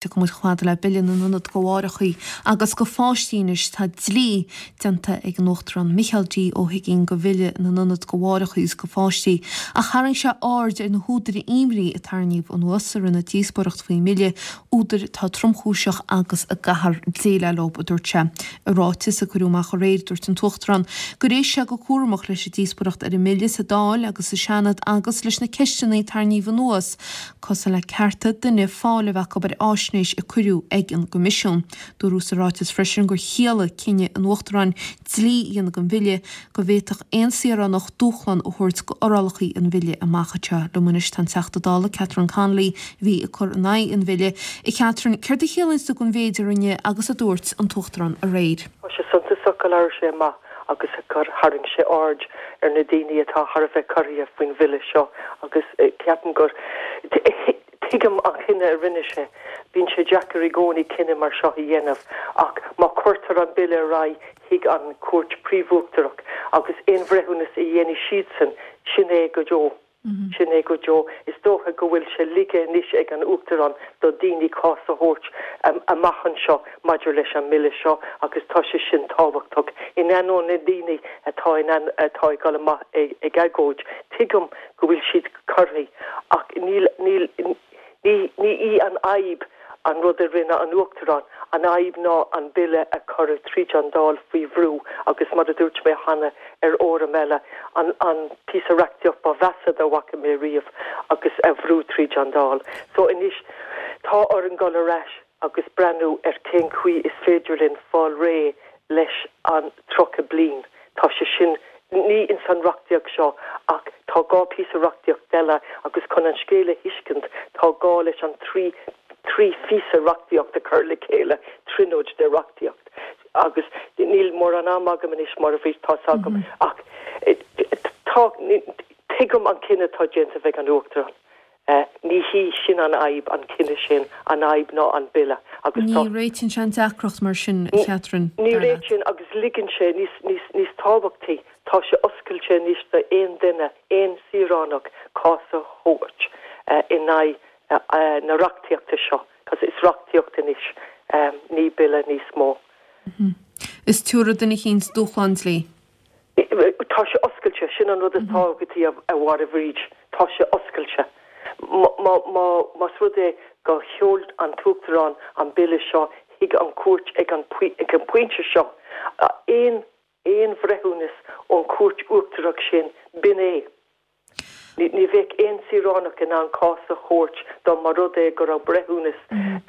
Tiocfaidh muid chomh fada le Bille na nIonad do Mháithreacha agus do Pháistí anois. Tá dlí déanta ag an Uachtarán Micheál D. Ó hUigínn de Bhille na nIonad do Mháithreacha agus do Pháistí ach tharraing sé aird ar na húdair imní a tarraingíodh anuas i rith na díospóireachta faoin mBille, údair atá tromchúiseach agus a gcaithfear déileáil leo, a dúirt sé. I ráiteas a cuireadh amach aréir, dúirt an tUachtarán gur éist sé go cúramach leis an díospóireacht ar an mBille sa Dáil agus sa Seanad agus leis na ceisteanna a tarraingíodh anuas cosúil le cearta duine fáil a bheith acu ar fháisnéis a cuireadh ag an gCoimisiún. Dúradh sa ráiteas freisin gur chiallaigh cinneadh an Uachtaráin dlí a dhéanamh den bhille go bhféadfadh aon saoránach dúshlán a thabhairt d'fhorálacha an bhille amach anseo. Liom anois tá an Teachta Dála Catherine Connolly a bhí ag cur in aghaidh an bhille. A Catherine, céard a chiallaíonns tú don mhéid a rinne agus a dúirt an tUachtarán aréir? Tá sé suntasach go labhair sé amach agus gur tharraing sé aird ar na daoine atá thar a bheith corraithe faoin bhille seo agus ceapaim gur, tuigim an cinneadh a rinne sé. Bíonn sé deacair i gcónaí cinneadh mar seo a dhéanamh ach má chuirtear an bille ar aghaidh chuig an Chúirt Phríomh-Uachtarach agus aon bhreithiúnas a dhéanfaidh siadsan, sin é go deo. Sin é go deo. Is dócha go bhfuil sé ligthe anois ag an Uachtarán do daoine cás a thabhairt amach anseo maidir leis an mBille seo agus tá sé sin tábhachtach. In ainneoin na ndaoine atá in ann, atá ag dul amach ag agóid, tuigim go bhfuil siad corraithe ach níl, níl, Ní, ní í an fhadhb an rud a rinne an Uachtarán, an fhadhb ná an Bille a cuireadh tríd an Dáil faoi bhrú agus mar a dúirt mé cheana ar fhóram eile, an, an píosa reachtaíocht ba mheasa dá bhfaca mé riamh agus a bhrú tríd an Dáil. So anois tá orainn dul ar ais agus breathnú ar cén chaoi is féidir linn fáil réidh leis an 30 bliain. Tá sé sin, ní ins an reachtaíocht seo ach tá dhá phíosa reachtaíocht eile agus chun an scéal a thuiscint tá gá leis an trí thrí phíosa reachtaíocht a chur le chéile, tríonóid de reachtaíocht. Agus níl mórán ama agam anois mar a bhí, tá's agam, ach tá, tuigim an cinneadh atá déanta ag an Uachtarán. Ní hí sin an fhadhb, an cinneadh sin, an fhadhb ná an Bille agus tá. Ní réitíonn sé an deacracht mar sin, a Chatherine, Ní dar leat. réitíonn agus ligeann sé, níos, níos, níos tábhachtaí, tá sé oscailte anois d'aon duine, aon saoránach cás a thabhairt in aghaidh na reachtaíochta seo, cos is reachtaíocht anois, ní Bille níos mó. Is tabharfaidh duine eicínt dúshlán dlí. Tá sé oscailte, sin an rud is tábhachtaí a Mháire Bhríd, tá sé oscailte. Más rud é gur sheol an tUachtarán an Bille seo chuig an gcúirt ag an bpointe seo, aon aon bhreithiúnas ón Chúirt Uachtarach sin, b'in é. Ní bheadh aon saoránach in ann cás a thabhairt dá mba rud é go raibh breithiúnas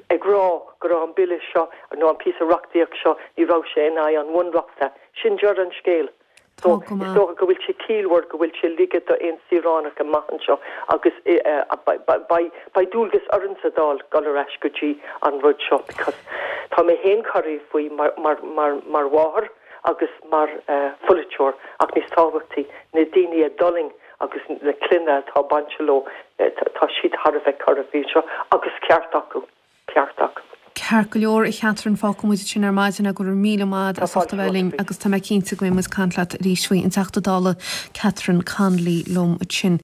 ag rá go raibh an bille seo nó an píosa reachtaíocht seo, ní raibh sé in aghaidh an Bhunreachta. Sin deireadh an scéil. So, is dócha go bhfuil sé ciallmhar go bhfuil sé ligthe d'aon saoránach amach anseo agus beidh dualgas orainn sa Dáil dul ar ais go dtí an rud seo because tá mé féin corraithe faoi mar mháthair. agus mar pholaiteoir, ach níos tábhachtaí, na daoine a d'fhulaing agus na clainne atá bainte leo, tá siad thar a bheith corraithe faoi seo agus ceart acu, ceart acu. Ceart go leor, a Chatherine, fágfaidh muid ansin ar maidin é, go raibh míle maith agat as ucht a bheith linn agus tá mé cinnte go mbeidh muid ag caint leat arís faoi, an Teachta Dála Catherine Connolly liom ansin.